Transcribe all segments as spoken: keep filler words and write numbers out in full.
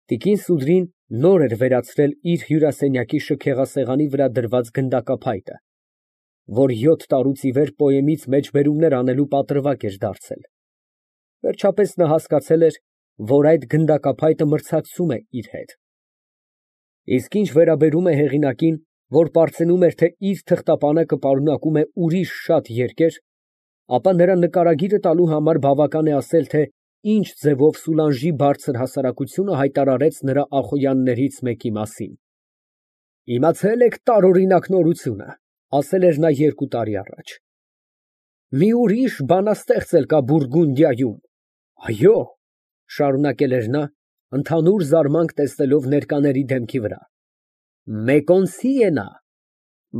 Տիկին Սուդրին նոր էր վերացրել իր հյուրասենյակի շքեղասեղանի վրա դրված գնդակափայտը, որ յոթ տարուց ի վեր պոեմից մեջբերումներ անելու պատրվակ էր դարձել. վերջապես նա հասկացել էր, որ այդ գնդակափայտը մրցակցում է իր հետ։ Իսկ ինչ վերաբերում է հեղինակին, որ պարծենում էր, թե իր թղթապանակը պարունակում է ուրիշ շատ երկեր, ապա նրա նկարագիրը տալու համար բավական է ասել, թե ինչ ձևով Սուլանժի բարձր հասարակությունը հայտարարեց նրա ախոյաններից մեկի մասին։ Իմացե՞լ եք տարօրինակ նորությունը, ասել էր նա երկու տարի առաջ։ Մի ուրիշ բանաստեղծ էլ կա Բուրգունդիայում։ Այո, շարունակել էր նա, ընդհանուր զարմանք տեսնելով ներկաների դեմքի վրա, մեկոնցի է նա,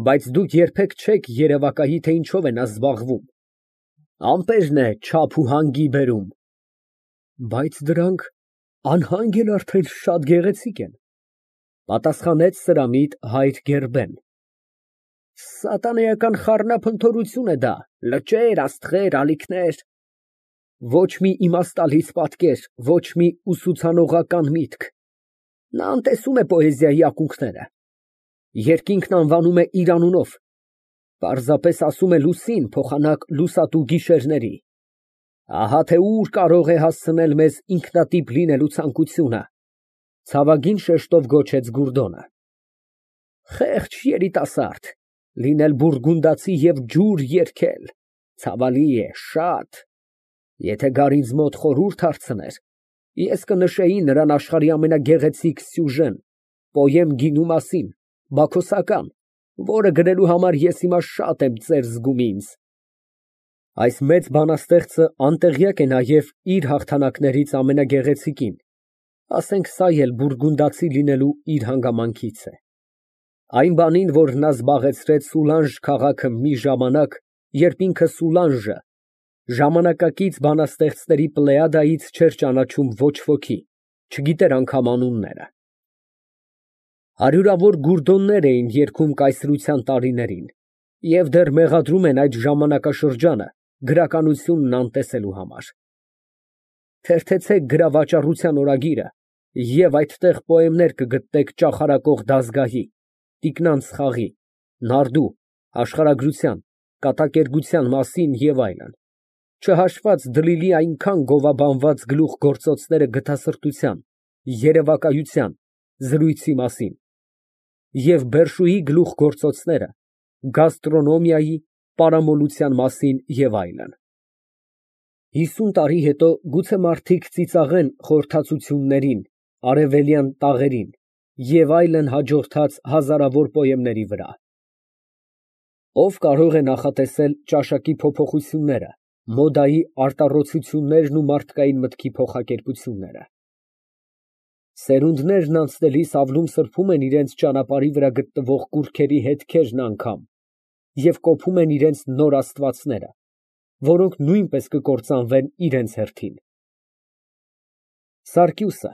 բայց դուք երբեք չեք երևակայի, թե ինչով է նա զբաղվում։ Ամպերն է չափ ու հանգի բերում։ Բայց դրանք անհանգ էլ արդեն շատ գեղեցիկ են, պատասխանեց սրամիտ հայր Գերբեն։ Սատանայական խառնափնթորություն է դա, լճեր, աստղեր, ալիքներ։ Ոչ մի իմաստալից պատկեր, ոչ մի ուսուցանողական միտք։ Նա անտեսում է պոեզիայի ակունքները։ Երկինքն անվանում է իր անունով, պարզապես ասում է լուսին փոխանակ լուսատու գիշերների։ Ահա թե ուր կարող է հասցնել մեզ ինքնատիպ լինելու ցանկությունը, ցավագին շեշտով գոչեց Գուրդոնը։ Խեղճ երիտասարդ, լինել բուրգունդացի և ջուր երգել, ցավալի է, շատ։ Եթե գար ինձ մոտ խորհուրդ հարցներ, ես կնշեի նրան աշխարհի ամենագեղեցիկ սյուժեն, պոեմ գինու մասին, բաքոսական, որը գրելու համար ես հիմա շատ եմ ծեր զգում ինձ։ Այս մեծ բանաստեղծը անտեղյակ է նաև իր հաղթանակներից ամենագեղեցիկին, ասենք սա էլ բուրգունդացի լինելու իր հանգամանքից է։ Այն բանին, որ նա զբաղեցրեց Սուլանժ քաղաքը մի ժամանակ, երբ ինքը Սուլանժը ժամանակակից բանաստեղծների պլեյադայից չէր ճանաչում ոչ ոքի, չգիտեր անգամ անունները։ Հարյուրավոր Գուրդոններ էին երգում կայսրության տարիներին և դեռ մեղադրում են այդ ժամանակաշրջանը գրականությունն անտեսելու համար։ Թերթեցեք գրավաճառության օրագիրը և այդտեղ պոեմներ կգտնեք ճախարակող Դազգահի, Տիկնանց խաղի, նարդու, աշխարհագրության, կատակերգության մասին և այլն, չհաշված դլիլի այնքան գովաբանված գլուխգործոցները գթասրտության, երևակայության, զրույցի մասին և Բերշուի գլուխգործոցները գաստրոնոմիայի, պարամոլության մասին և այլն։ Հիսուն տարի հետո գուցե մարդիկ ծիծաղեն խորհրդածություններին, արևելյան տաղերին և այլն հաջորդած հազարավոր պոեմների վրա։ Ով կարող է նախատեսել ճաշակի փոփոխությունները, մոդայի արտառոցություններն ու մարդկային մտքի փոխակերպությունները։ Սերունդներն անցնելիս ավլում֊սրբում են իրենց ճանապարհի վրա գտնվող կուռքերի հետքերն անգամ և կոփում են իրենց նոր աստվածները, որոնք նույնպես կկործանվեն իրենց հերթին։ Սարգիսը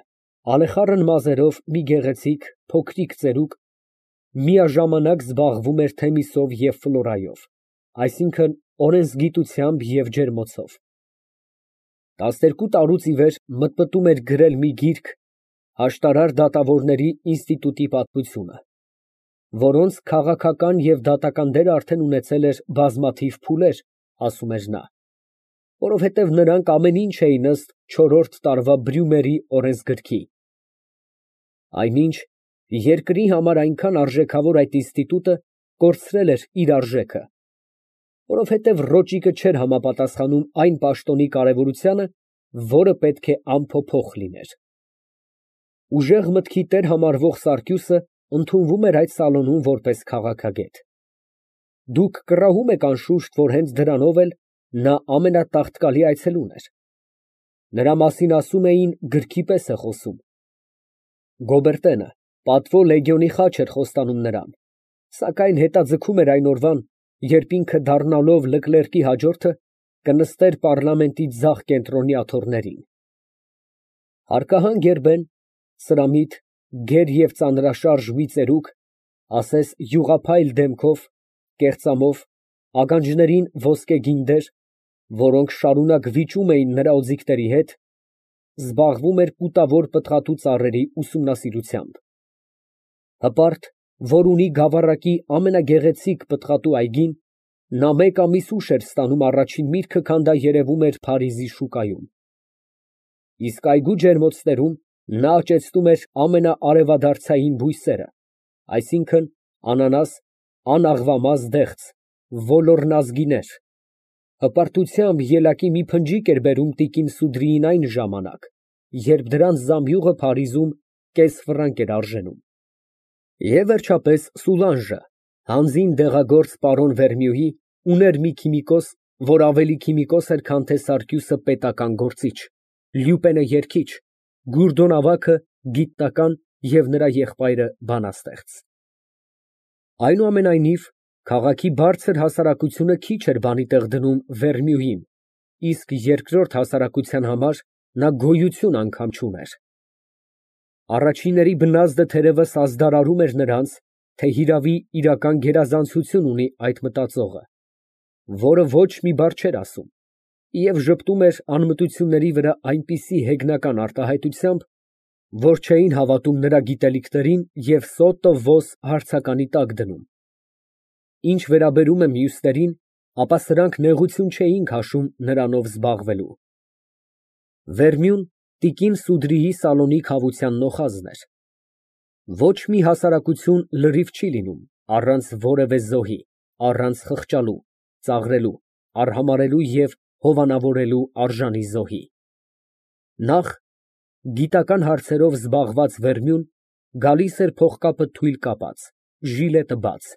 ալեխառն մազերով մի գեղեցիկ, փոքրիկ ծերուկ միաժամանակ զբաղվում էր Թեմիսով և Ֆլորայով, այսինքն օրենսգիտությամբ և ջերմոցով։ Տասներկու տարուց ի վեր մտմտում էր գրել մի գիրք «Աշտարար դատավորների ինստիտուտի պատմությունը», որոնց քաղաքական և դատական դերը արդեն ունեցել էր բազմաթիվ փուլեր, ասում էր նա, որովհետև նրանք ամեն ինչ էին ըստ չորրորդ տարվա Բրյումերի օրենսգրքի։ Այնինչ, երկրի համար այնքան արժեքավոր այդ ինստիտուտը կորցրել էր իր արժեքը, որովհետև ռոճիկը չէր համապատասխանում այն պաշտոնի կարևորությանը, որը պետք է անփոփոխ լիներ։ Ուժեղ մտքի տեր համարվող Սարգիսը ընդունվում էր այդ սալոնում որպես քաղաքագետ։ Դուք կռահում եք անշուշտ, որ հենց դրանով էլ նա ամենատաղտկալի այցելուն էր։ Նրա մասին ասում էին գրքի պես է խոսում։ Գոբերտենը պատվո լեգիոնի խաչ էր խոստանում նրան, սակայն հետաձգում էր այն օրվան, երբ ինքը դառնալով Լկլերկի հաջորդը, կնստեր պառլամենտի ձախ կենտրոնի աթոռներին։ Հարկահան Գերբեն, սրամիտ, գեր և ծանրաշարժ մի ծերուկ, ասես յուղափայլ դեմքով, կեղծամով, ականջներին ոսկեգին դեր, որոնք շարունակ վիճում էին նրա օձիքների հետ, զբաղվում էր կուտավոր պտղատու ծառերի ուսումնասիրությամբ։ Հպարտ, որ ունի գավառակի ամենագեղեցիկ պտղատու այգին, նա մեկ ամիս ուշ էր ստանում առաջին միրգը, քան դա երևում էր Փարիզի շուկայում։ Իսկ այգու ջերմոցներում նա աճեցնում էր ամենաարևադարձային բույսերը, այսինքն՝ անանաս, անաղվամազ դեղց, ոլոռնազգիներ։ Հպարտությամբ ելակի մի փնջիկ էր բերում տիկին Սուդրիին այն ժամանակ, երբ դրանց զամբյուղը Փարիզում կես ֆրանկ էր արժենում։ Եվ վերջապես Սուլանժը, հանձին դեղագործ պարոն Վերնյուի, ուներ մի քիմիկոս, որ ավելի քիմիկոս էր, քան թե Սարգյուսը պետական գործիչ, Լյուպենը երգիչ, Գուրդոն ավագը գիտնական և նրա եղբայրը բանաստեղծ։ Այնուամենայնիվ, քաղաքի բարձր հասարակությունը քիչ էր բանի տեղ դնում Վերնյուին, իսկ երկրորդ հասարակության համար նա գոյություն անգամ չուներ։ Առաջինների բնազդը թերևս ազդարարում էր նրանց, թե հիրավի իրական գերազանցություն ունի այդ մտածողը, որը ոչ մի բառ չէր ասում և ժպտում էր անմտությունների վրա այնպիսի հեգնական արտահայտությամբ, որ չէին հավատում նրա գիտելիքներին և սոտո ոս հարցականի տակ դնում։ Ինչ վերաբերում է մյուսներին, ապա սրանք նեղություն չէին քաշում նրանով զբաղվելու։ Վերնյուն տիկին Սուդրիի սալոնի քավության նոխազն էր։ Ոչ մի հասարակություն լրիվ չի լինում առանց որևէ զոհի, առանց խղճալու, ծաղրելու, արհամարհելու և հովանավորելու արժանի զոհի։ Նախ, գիտական հարցերով զբաղված Վերնյուն գալիս էր փողկապը թույլ կապած, ժիլետը բաց,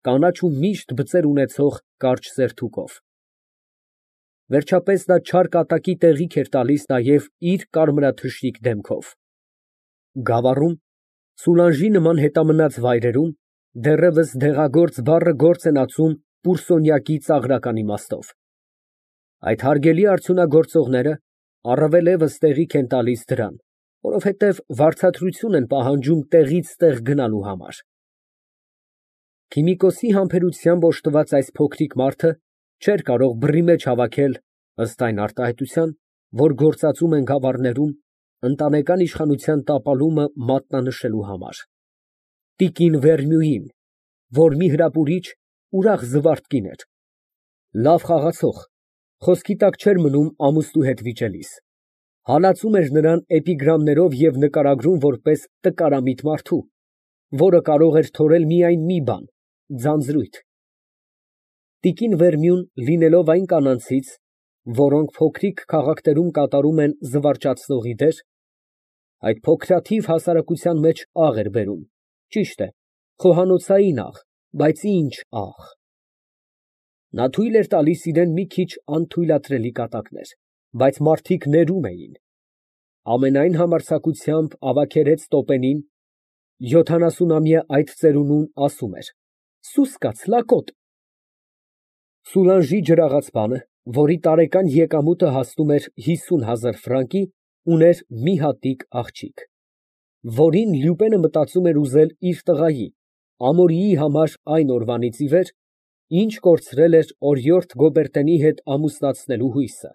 կանաչ ու միշտ բծեր ունեցող կարճ սերթուկով։ Վերջապես նա չար կատակի տեղիք էր տալիս նաև իր կարմրաթշիկ դեմքով։ Գավառում, Սուլանժի նման հետամնաց վայրերում դեռևս դեղագործ բառը գործ են ածում պուրսոնյակի ծաղրական իմաստով։ Այդ հարգելի արդյունագործողները առավելևս տեղիք են տալիս դրան, որովհետև վարձատրություն են պահանջում տեղից տեղ գնալու համար։ Քիմիկոսի համբերությամբ օժտված այս փոքրիկ մարդը չէր կարող բռի մեջ հավաքել, ըստ այն արտահայտության, որ գործածում են գավառներում, ընտանեկան իշխանության տապալումը մատնանշելու համար։ Տիկին Վերնյուին, որ մի հրապուրիչ, ուրախ զվարթ կին էր, լավ խաղացող, խոսքի տակ չէր մնում ամուսնու հետ վիճելիս, հալածում էր նրան էպիգրամներով և նկարագրում որպես տկարամիտ մարդու, որը կարող էր թորել միայն մի բան՝ ձանձրույթ։ Տիկին Վերնյուն լինելով այն կանանցից, որոնք փոքրիկ քաղաքներում կատարում են զվարճացնողի դեր, այդ փոքրաթիվ հասարակության մեջ աղ էր բերում, ճիշտ է, խոհանոցային աղ, բայց ի՞նչ աղ։ Նա թույլ էր տալիս իրան մի քիչ անթույլատրելի կատակներ, բայց մարդիկ ներում էին։ Ամենայն համարձակությամբ ավագերեց տոպենին, յոթանասունամյա այդ ծերունուն ասում էր. «Սուս կաց, լակոտ»։ Սուլանժի ջրաղացպանը, որի տարեկան եկամուտը հասնում էր հիսուն հազար ֆրանկի, ուներ մի հատիկ աղջիկ, որին Լյուպենը մտածում էր ուզել իր տղայի, Ամորիի համար այն օրվանից ի վեր, ինչ կորցրել էր օրիորդ Գոբերտենի հետ ամուսնացնելու հույսը։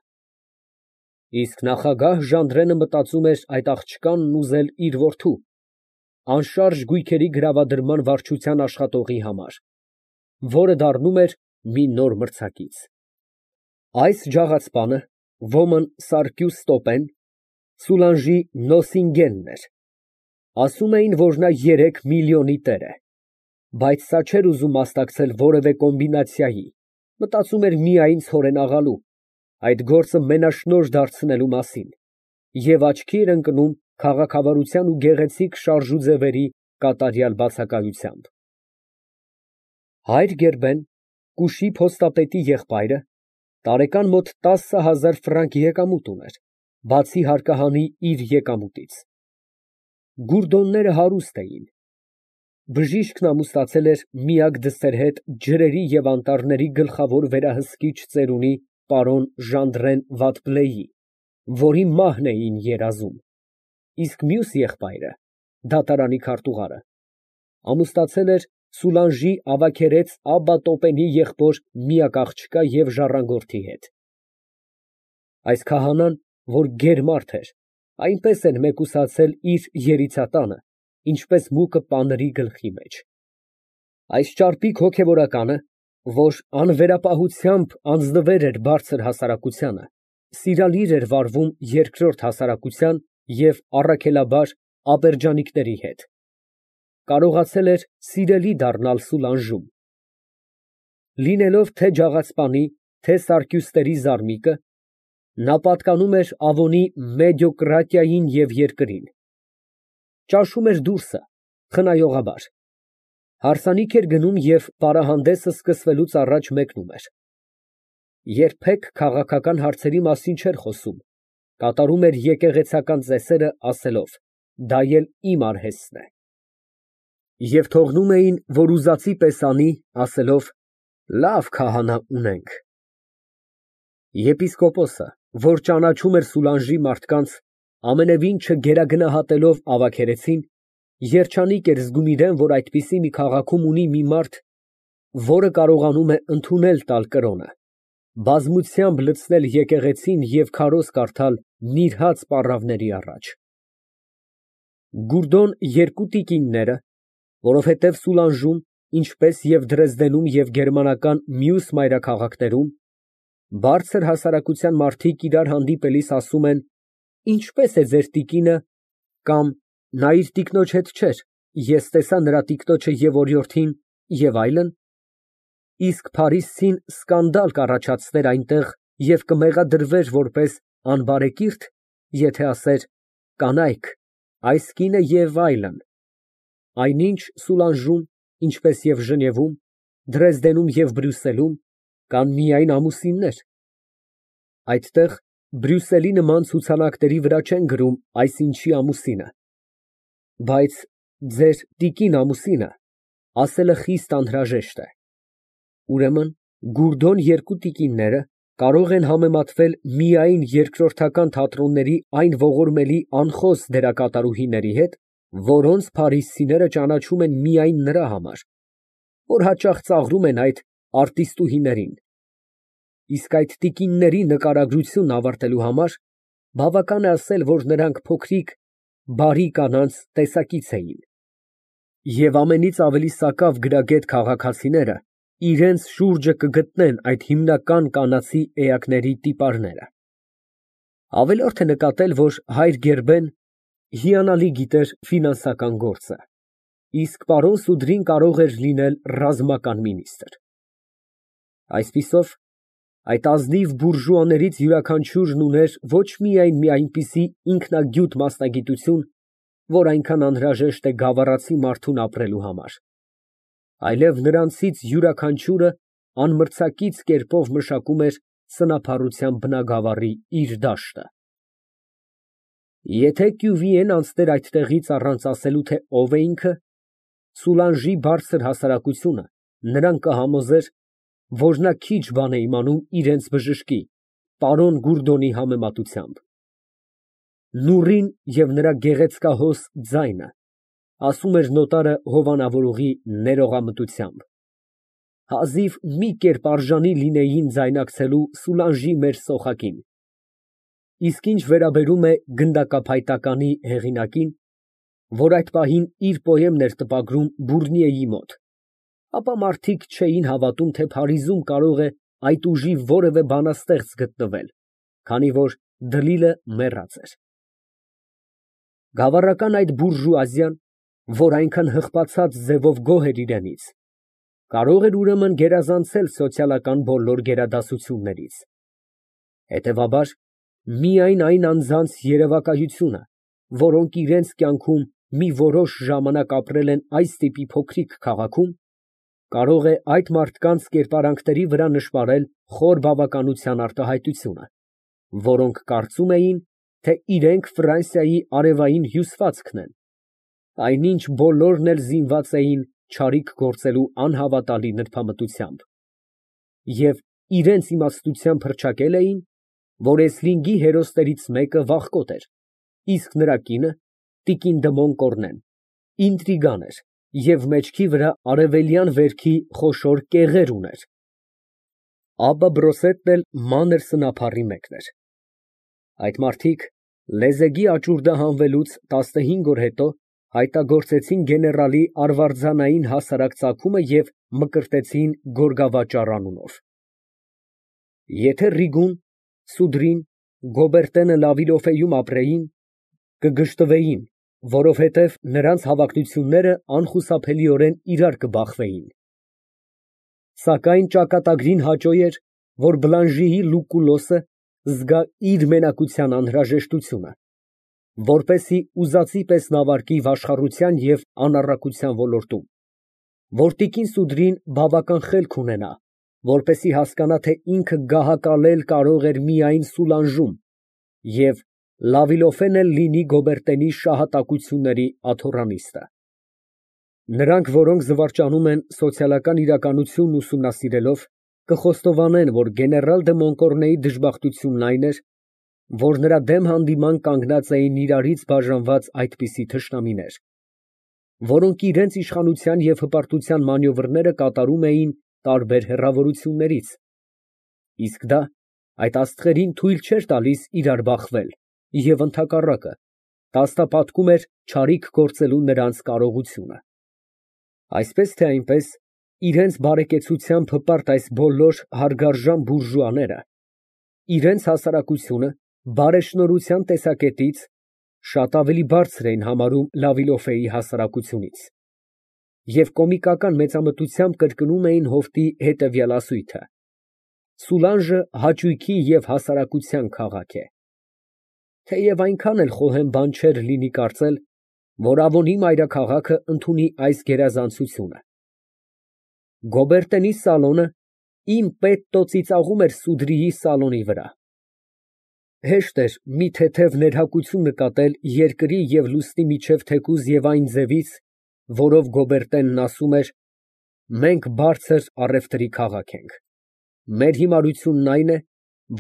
Իսկ նախագահ Ժանդրենը մտածում էր այդ աղջկանն ուզել իր որդու, անշարժ գույքերի գրավադրման վարչության աշխատողի համար, որը դառնում էր մի նոր մրցակից։ Այս ջաղացպանը, ոմն Սարկյուս Տոպեն, Սուլանժի նոսինգենն էր։ Ասում էին, որ նա երեք միլիոնի տեր է, բայց սա չէր ուզում մասնակցել որևէ կոմբինացիայի, մտածում էր միայն ցորենաղալու, այդ գործը մենաշնորհ դարձնելու մասին, և աչքի էր ընկնում քաղաքավարության ու գեղեցիկ շարժուձևերի կատարյալ բացակայությամբ։ Հայր Գերբեն, կուշի փոստապետի եղբայրը, տարեկան մոտ տասը հազար ֆրանկ եկամուտ ուներ, բացի հարկահանի իր եկամուտից։ Գուրդոնները հարուստ էին։ Բժիշկն ամուսնացել էր միակ դստեր հետ ջրերի և անտառների գլխավոր վերահսկիչ ծերունի պարոն Ժանդրեն Վատբլեի, որի մահն էին երազում, իսկ մյուս եղբայրը, դատարանի քարտուղարը, ամուսնացել էր Սուլանժի ավագերեց Աբբա Տոպենի եղբոր միակ աղջկա և ժառանգորդի հետ։ Այս քահանան, որ գեր մարդ էր, Այնպես են մեկուսացել իր երիցատանը, ինչպես մուկը պանրի գլխի մեջ։ Այս ճարպիկ հոգևորականը, որ անվերապահությամբ անձնվեր էր բարձր հասարակությանը, սիրալիր էր վարվում երկրորդ հասարակության և առաքելաբար աբերջանիկների հետ, կարողացել էր սիրելի դառնալ Սուլանժում։ Լինելով թե ջաղացպանի, թե սարկյուստերի զարմիկը, նա պատկանում էր Ավոնի մեդիոկրատիային և երկրին, ճաշում էր դուրսը, խնայողաբար, հարսանիք էր գնում և պարահանդեսը սկսվելուց առաջ մեկնում էր, երբեք քաղաքական հարցերի մասին չէր խոսում, կատարում էր եկեղեցական ծեսերը, ասելով. «Դա էլ իմ արհեստն է» և թողնում էին, որ ուզածի պես անի, ասելով. «Լավ քահանա ունենք»։ Եպիսկոպոսը, որ ճանաչում էր Սուլանժի մարդկանց, ամենևին չգերագնահատելով ավագերեսին, երջանիկ էր զգում իրան, որ այդպիսի մի քաղաքում ունի մի մարդ, որը կարողանում է ընդունել տալ կրոնը, բազմությամբ լցնել եկեղեցին և քարոզ կարդալ նիրհած պառավների առաջ։ Գուրդոն երկու տիկինները, որովհետև Սուլանժում, ինչպես և Դրեզդենում և գերմանական մյուս մայրաքաղաքներում, բարձր հասարակության մարդիկ իրար հանդիպելիս ասում են. «Ինչպե՞ս է ձեր տիկինը» կամ «Նա իր տիկնոջ հետ չէր, ես տեսա նրա տիկնոջը և օրիորդին» և այլն, իսկ փարիսցին սկանդալ կառաջացներ այնտեղ և կմեղադրվեր որպես անբարեկիրթ, եթե ասեր. «Կանայք, այս կինը» և այլն, այնինչ Սուլանժում, ինչպես և Ժնևում, Դրեզդենում և Բրյուսելում կան միայն ամուսիններ, այդտեղ Բրյուսելի նման ցուցանակների վրա չեն գրում այսինչի ամուսինը, բայց ձեր տիկին ամուսինը ասելը խիստ անհրաժեշտ է։ Ուրեմն գուրդոն երկու տիկինները կարող են համեմատվել միայն երկրորդական թատրոնների այն ողորմելի անխոս դերակատարուհիների հետ, որոնց փարիսցիները ճանաչում են միայն նրա համար, որ հաճախ ծաղրում են այդ արտիստուհիներին, իսկ այդ տիկինների նկարագրությունն ավարտելու համար բավական է ասել, որ նրանք փոքրիկ, բարի կանանց տեսակից էին, և ամենից ավելի սակավ գրագետ քաղաքացիները իրանց շուրջը կգտնեն այդ հիմնական կանացի էակների տիպարները։ Ավելորդ է նկատել, որ հայր Գերբեն հիանալի գիտեր ֆինանսական գործը, իսկ պարոն Սուդրին կարող էր լինել ռազմական մինիստրը։ Այսպիսով, այդ ազնիվ բուրժուաներից յուրաքանչյուրն ուներ ոչ միայն մի այնպիսի ինքնագյուտ մասնագիտություն, որ այնքան անհրաժեշտ է գավառացի մարդուն ապրելու համար, այլև նրանցից յուրաքանչյուրը անմրցակից կերպով մշակում էր սնափառության բնագավառի իր դաշտը։ Եթե Կյուվիեն անցներ այդտեղից առանց ասելու, թե ով է ինքը, Սուլանժի բարձր հասարակությունը նրան կհամոզեր, որ նա քիչ բան է իմանում իրենց բժշկի, պարոն Գուրդոնի համեմատությամբ։ Նուռին և նրա գեղեցկահոս ձայնը, ասում էր նոտարը հովանավորողի ներողամտությամբ, հազիվ մի կերպ արժանի լինեին ձայնակցելու Սուլանժի մեր սոխակին, իսկ ինչ վերաբերում է գնդակափայտականի հեղինակին, որ այդ պահին իր պոեմն էր տպագրում Բուրնիեի մոտ, ապա մարդիկ չէին հավատում, թե Փարիզում կարող է այդ ուժի որևէ բանաստեղծ գտնվել, քանի որ դլիլը մեռած էր։ Գավառական այդ բուրժուազիան, որ այնքան հղպացած ձևով գոհ էր իրենից, կարող էր ուրեմն գերազանցել սոցիալական բոլոր գերադասություններից։ Հետևաբար, միայն այն անձանց երևակայությունը, որոնք իրենց կյանքում մի որոշ ժամանակ ապրել են այս տիպի փոքրիկ քաղաքում, կարող է այդ մարդկանց կերպարանքների վրա նշմարել խոր բավականության արտահայտությունը, որոնք կարծում էին, թե իրենք Ֆրանսիայի արևային հյուսվածքն են, այնինչ բոլորն էլ զինված էին չարիք գործելու անհավատալի նրբամտությամբ և իրենց իմաստությամբ հռչակել էին, որ էսլինգի հերոսներից մեկը վախկոտ էր, իսկ նրա կինը՝ տիկին Դմոն Կոռնեն, ինտրիգան էր և մեջքի վրա արևելյան վերքի խոշոր կեղեր ուներ։ Աբբա Բրոսետն էլ մանր սնափառի մեկն էր։ Այդ մարդիկ Լեզեգի աճուրդը հանվելուց տասնհինգ օր հետո հայտագործեցին գեներալի արվարձանային հասարակ ծագումը և մկրտեցին Գորգավաճառ անունով։ Եթե Ռիգուն, Սուդրին, Գոբերտենը Լավիլոֆեում ապրեին, կգժտվեին, որովհետև նրանց հավակնությունները անխուսափելիորեն իրար կբախվեին։ Սակայն ճակատագրին հաճոյ էր, որ Բլանժիի Լուկուլոսը զգա իր մենակության անհրաժեշտությունը, որպեսզի ուզածի պես նավարկի վաշխառության և անառակության ոլորտում, որ տիկին Սուդրին բավական խելք ունենա, որպեսզի հասկանա, թե ինքը գահակալել կարող էր միայն Սուլանժում և Լավիլոֆեն էլ լինի Գոբերտենի շահատակությունների աթոռանիստը։ Նրանք, որոնք զվարճանում են սոցիալական իրականությունն ուսումնասիրելով, կխոստովանեն, որ գեներալ դը Մոնկորնեի դժբախտությունն այն էր, որ նրա դեմ հանդիման կանգնած էին իրարից բաժանված այդպիսի թշնամիներ, որոնք իրենց իշխանության և հպարտության մանևրները կատարում էին տարբեր հեռավորություններից, իսկ դա այդ աստղերին թույլ չէր տալիս իրար բախվել և ընդհակառակը, տաստապատկում էր չարիք գործելու նրանց կարողությունը։ Այսպես թե այնպես, իրենց բարեկեցությամբ հպարտ այս բոլոր հարգարժան բուրժուաները իրենց հասարակությունը բարեշնորհության տեսակետից շատ ավելի բարձր էին համարում Լավիլոֆեի հասարակությունից և կոմիկական մեծամտությամբ կրկնում էին հովտի հետևյալ ասույթը. Սուլանժը հաճույքի և հասարակության քաղաք է, թեև այնքան էլ խոհեմ բան չէր լինի կարծել, որ Ավոնի մայրաքաղաքը ընդունի այս գերազանցությունը։ Գոբերտենի սալոնը իմ պետտո ծիծաղում էր Սուդրիի սալոնի վրա։ Հեշտ էր մի թեթև ներհակություն նկատել երկրի և լուսնի միջև թեկուզ և այն ձևից, որով Գոբերտենն ասում էր. «Մենք բարձր առևտրի քաղաք ենք, մեր հիմարությունն այն է,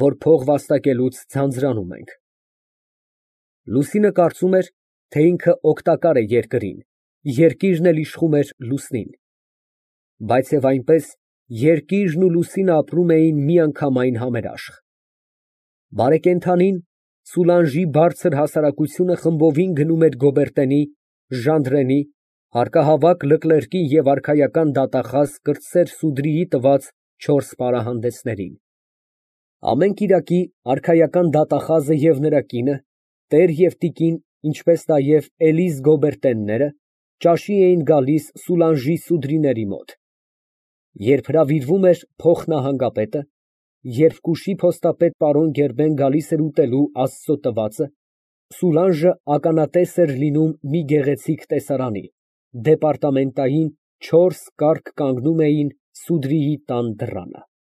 որ փող վաստակելուց ձանձրանում ենք»։ Լուսինը կարծում էր, թե ինքը օգտակար է երկրին, երկիրն էլ իշխում էր լուսնին, բայց և այնպես երկիրն ու լուսինը ապրում էին միանգամայն համերաշխ։ Բարեկենդանին, Սուլանժի բարձր հասարակությունը խմբովին գնում էր Գոբերտենի, Ժանդրենի, հարկահավաք Լկլերկի և արքայական դատախազ կրտսեր Սուդրիի տված չորս պարահանդեսներին։ Ամեն կիրակի արքայական դատախազը և նրա կինը, տեր և տիկին, ինչպես նաև Էլիզ Գոբերտենները ճաշի էին գալիս Սուլանժի Սուդրիների մոտ։ Երբ հրավիրվում էր փոխնահանգապետը, երբ կուշի փոստապետ պարոն Գերբեն գալիս էր ուտելու Աստծո տվածը, Սուլանժը ականատես էր լինում մի գեղեցիկ տեսարանի, դեպարտամենտային չորս կառք կանգնում էին Սուդրիի տան դռանը։